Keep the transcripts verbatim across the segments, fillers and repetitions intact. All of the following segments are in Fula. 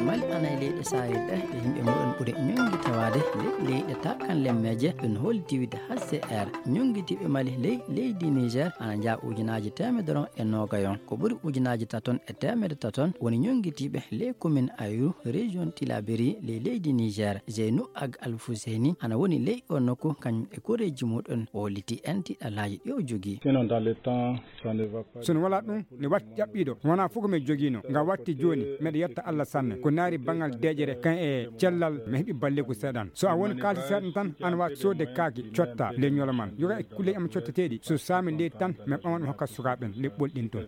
Mali ana e leyɗe Sahel ɗe, ɗe yimɓe muɗum ɓuri ñongi tawaade ley leyɗe takan lemmeeje. Ɗum holti wide H C R, ñongitiiɓe Mali ley leydi Niger ana njaa ujunaaji teemedere e noogayon. Ko ɓuri ujunaaji taton e teemedere taton woni ñongitiiɓe ley commune Ayru, région Tilaberi, ley leydi Niger. Zeynou Ag Al Fuseni ana woni ley o nokku, kañum e koreeji muɗum, o holliti en tiiɗalaaji ɗi o jogii. Sinon, dans le temps, ça ne va pas. Sono wala ɗum, ne watti ƴaɓɓiiɗo, wona fof ko mi jogiino, nga watti jooni, miɗo yetta Allah sanne. Ko naari banngal deeƴere, kan e cellal, mi heɓi balleeku seeɗan. So a woni kaalisi seeɗan tan, an waat soodde kaaki, cotta, le ñolo man. Yoga e kulle am cotteteeɗi, so saami leydi tan, mi ɓaman mi hokka sukaaɓe ɓen, le ɓolɗin toon.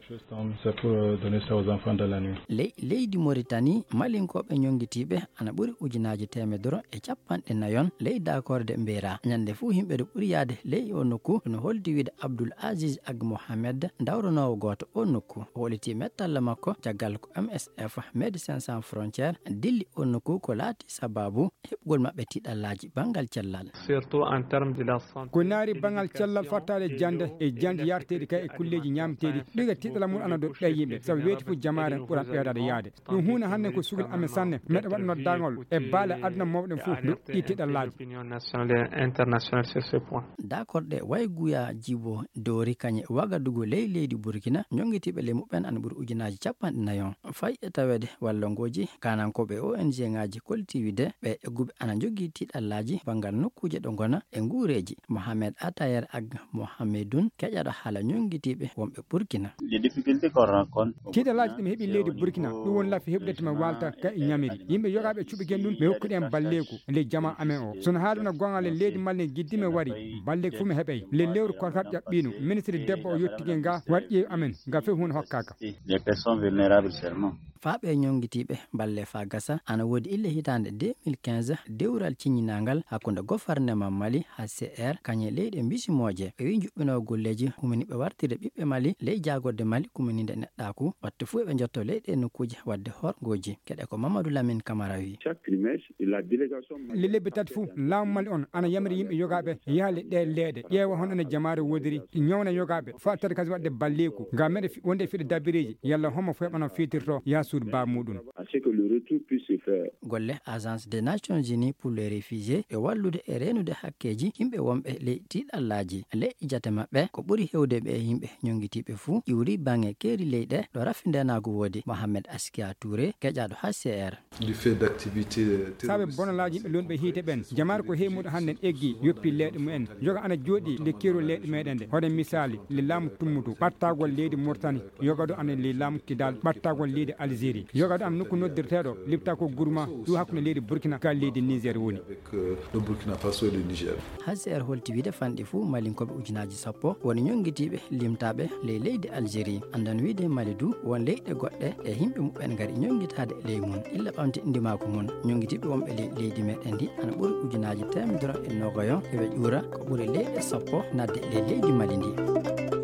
C'est pour, euh, donner ça aux enfants dans la nuit. Ley leydi Mauritanie, Malinkooɓe ñonngitiiɓe ana ɓuri ujunaaji teemedere e capanɗe nayon ley daakorde mbeera. Ñande fuu yimɓe ɗo ɓuri yaade ley o nokku, no holdi wiide Abdoul Aziz Ag Mohamed, dawronoowo gooto o nokku. O holliti mettalla makko caggal ko M S F, Médecins Sans Frontières, dilli o nokku ko laati sababu heɓugol maɓɓe tiiɗallaaji banngal cellal. Surtout en termes de la santé. Ko naari banngal cellal fattaade jannde e jannde yarteeɗi kay e kulleeji ñaamteeɗi, ɗiga tiiɗalla mum ana dow ɓee yimɓe, sabu weeti fof jamaare ɓuran ɓeydaade yaade. Ɗum huunde hannde ko sugol amen sanne, meɗa waɗa noddaangol e baale aduna mawɗen fof, doɗɗi tiiɗallaaji. L'opinion nationale et internationale sur ce point. Daakorde Wayguya Jibo Dori kañe Wagadugu ley leydi Burkina, ñonngitiiɓe ley muɓɓen ana ɓuri ujunaaji capanɗe nayon. Fay e taweede wallangooji, kaanankooɓe O N G ŋaaji koltiiwide, ɓe egguɓe ana njogii tiiɗallaaji banngal nokkuuje ɗo ngona e nguureeji. Mohamed Atayer Ag Mohamedun, keƴaɗo haala ñonngitiiɓe wonɓe Burkina. Les difficultés qu'on rencontre. Tiiɗalaaji ɗi mi heɓi leydi Burkina, ɗum woni laafi heɓude to mi waalta ka e ñamiri. Yimɓe yogaaɓe cuɓi gen ɗum, mi hokkude en balleeku ley jama amen o. Sono haali wona goonga le leydi Mali ne jiddi mi wari, balleeku fof mi heɓay. Le lewru korkat ƴaɓɓiino, ministre debbo o yottike nga, waɗi ƴeew amen, nga fof huunde hokkaaka. Les personnes vulnérables seulement. Faaɓe ñonngitiiɓe balle faa gasa, ana woodi ille hitaande deux mille quinze, dewral ciññinaangal hakkunde gofarnema Mali, H C R, kañe leyɗe mbisimooje. Ɓe wi njuɓɓinoo golleeji humini ɓe wartirde ɓiɓɓe Mali ley jaagorde Mali kumininde neɗɗaaku, wattu fuu eɓe njotto ley ɗee nokkuuje waɗde horngooji. Keɗe ko Mamadou Lamine Camara wi. Chaque trimestre, la délégation. Le lebbi tati fuu, laamu Mali on ana yamiri yimɓe yogaaɓe yaha le ɗee leeɗe, ƴeewa hono ene jamaare woodiri, ñawna yogaaɓe, faa tati kasi waɗde balleeku, ngam meɗe fi-, wonde e fiɗe dabireeji, yalla homo fof heɓano fiitirto yaha suudu baa muɗum. À ce que le retour puisse se faire. Golle Agence des Nations Unies pour les Réfugiés e wallude e reenude hakkeeji yimɓe wonɓe ley tiiɗallaaji. Ley jate maɓɓe, ko ɓuri heewde ɓe yimɓe ñonngitiiɓe fuu iwri baŋŋe keeri leyɗe ɗo rafi ndeenaagu woodi. Mohamed Askia Touré, keƴaaɗo H C R. Du fait d'activités, euh, terroristes. Saabe bonalaaji yimɓe lonɓe hiite ɓen, jamaare ko heewi muɗo hannden eggi, yoppi leeɗe mumen. Yoga ana jooɗi nde keerol leeɗe meɗen nde. Hoɗen misaali, le laamu tummutu, ɓattagol leydi Mauritanie, yoga ɗo ana le laamu Kidal, ɓattagol leydi Algérie. Yoga ɗo ana nokku noddirteeɗo, lipta ko Gourma, ɗum hakkunde leydi Burkina ka leydi Niger woni. Avec, euh, le Burkina Faso et le Niger. H C R holti wiide fanɗi fuu Malinkooɓe ujunaaji sappo woni ñonngitiiɓe limtaaɓe ley leydi Algérie. Anndan wiide Mali du won leyɗe goɗɗe e yimɓe muɓɓen ngari ñonngitaade ley mum. Illa ɓamti ndimaagu mum. Ñonngitiiɓe wonɓe ley leydi meɗen ndi ana ɓuri ujunaaji teemedere e noogayon, eɓe ƴuura ko ɓuri leyɗe sappo naatde ley leydi Mali ndi.